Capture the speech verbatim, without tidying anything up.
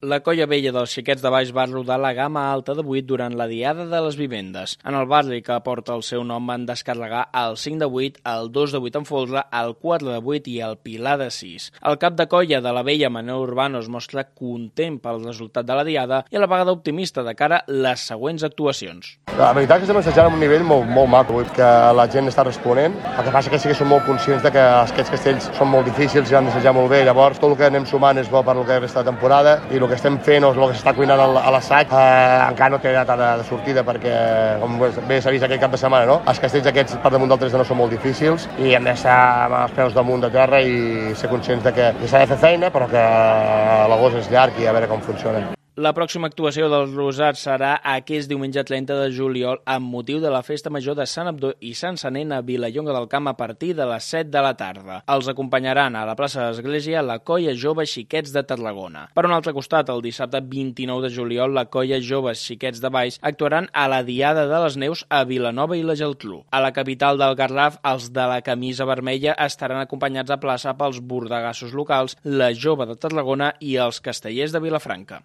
La Colla Vella dels Xiquets de Baix va rodar la gamma alta de vuit durant la Diada de les Vivendes. En el barri que porta el seu nom van descarregar el cinc de vuit, el dos de vuit en folre, el quatre de vuit i el pilar de sis. El cap de colla de la Vella, Manel Urbano, es mostra content pel resultat de la Diada i a la vegada optimista de cara a les següents actuacions. La veritat és que estem assajant a un nivell molt, molt maco, que la gent està responent. El que passa que sí que som molt conscients de que aquests castells són molt difícils i han d'assajar molt bé. Llavors, tot el que anem sumant és bo per lo que resta de temporada i el que estem fent o el que s'està cuinant a l'assaig eh, encara no té data de, de sortida perquè, com bé s'ha vist aquest cap de setmana, no? Els castells aquests per damunt del tres de nou són molt difícils i hem d'estar amb els peus damunt de terra i ser conscients de que s'ha de fer feina però que l'agost és llarg i a veure com funcionen. La pròxima actuació dels Rosats serà aquest diumenge trenta de juliol amb motiu de la Festa Major de Sant Abdó i Sant Sanent a Vilallonga del Camp a partir de les set de la tarda. Els acompanyaran a la plaça de l'Església la Colla Jove Xiquets de Tarragona. Per un altre costat, el dissabte vint-i-nou de juliol, la Colla Joves Xiquets de Baix actuaran a la Diada de les Neus a Vilanova i la Geltrú. A la capital del Garraf, els de la camisa vermella estaran acompanyats a plaça pels bordegassos locals, la Jove de Tarragona i els castellers de Vilafranca.